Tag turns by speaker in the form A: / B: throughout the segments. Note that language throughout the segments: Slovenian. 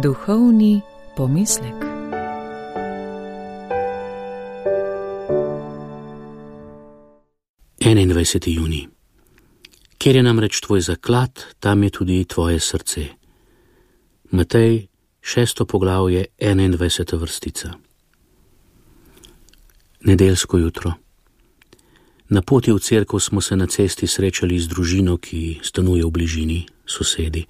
A: Duhovni pomislek.
B: Junij. Kjer je namreč tvoj zaklad, tam je tudi tvoje srce. Matej, 6. poglavje, 21. vrstica. Nedeljsko jutro. Na poti v cerkev smo se na cesti srečali z družino, ki stanuje v bližini, sosedi.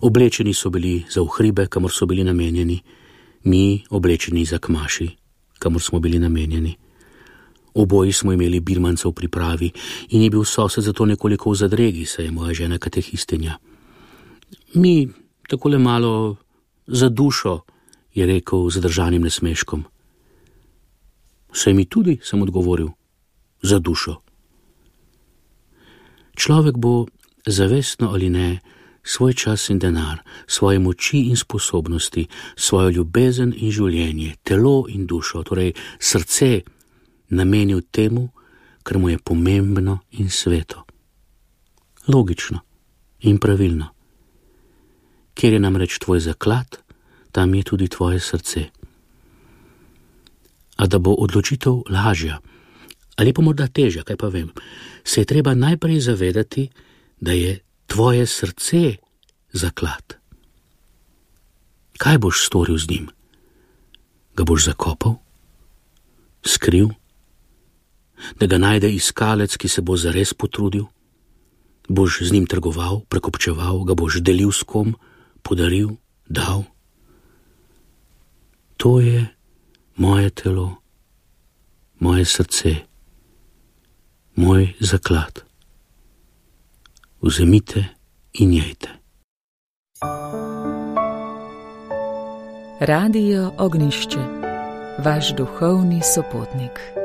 B: Oblečeni so bili za v hribe, kamor so bili namenjeni, mi oblečeni za kmaši, kamor smo bili namenjeni. Oboji smo imeli birmance v pripravi in je bil sosed zato nekoliko v zadregi, saj je moja žena katehistinja. Mi takole malo za dušo, je rekel z zadržanim nasmeškom. Saj mi tudi, sem odgovoril, za dušo. Človek bo, zavestno ali ne, svoj čas in denar, svoje moči in sposobnosti, svojo ljubezen in življenje, telo in dušo, torej srce, namenil temu, kar mu je pomembno in sveto. Logično in pravilno. Kjer je namreč tvoj zaklad, tam je tudi tvoje srce. A da bo odločitev lažja, ali pa morda težja, kaj pa vem, se je treba najprej zavedati, da je tvoje srce zaklad. Kaj boš storil z njim? Ga boš zakopal? Skril? Da ga najde iskalec, ki se bo zares potrudil? Boš z njim trgoval, prekupčeval, ga boš delil s kom, podaril, dal? To je moje telo, moje srce, moj zaklad. Vzemite in jejte.
A: Radio Ognjišče, vaš duhovni sopotnik.